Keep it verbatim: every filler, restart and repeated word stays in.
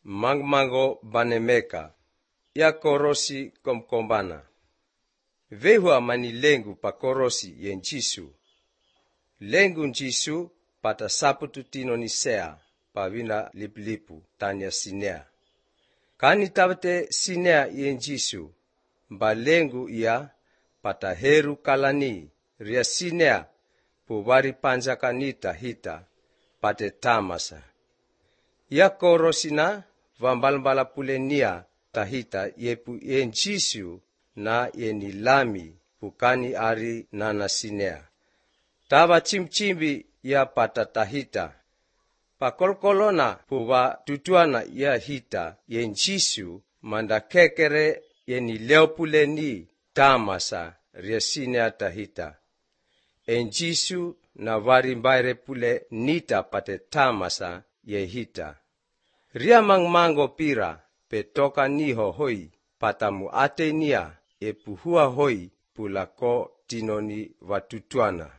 mangmango banemeka, ya korosi komkombana. Vehua mani lengu pa korosi yen Jisu. Lengu Jisu pata saputu tino nisea pa wina liplipu tanya sinea. Kani tabate sinea yen Jisu, mba lengu ia pata heru kalani ria sinea pu wari panjakanita hita pate tamasa. Ya korosina vambalmbala pulenia tahita yepu yen Jisu na yeni lami pukani ari nana sinea. Tava chimchimbi ya pata tahita. Pakolkolona puwa tutuana ya hita yen Jisu manda kekere yeni leopuleni tamasa ria sinea tahita. En Jisu na warimbaire pule nita pate tamasa ye hita. Ria mangmango pira petoka niho hoi patamu atenia e puhua hoi pulako tinoni watutuana.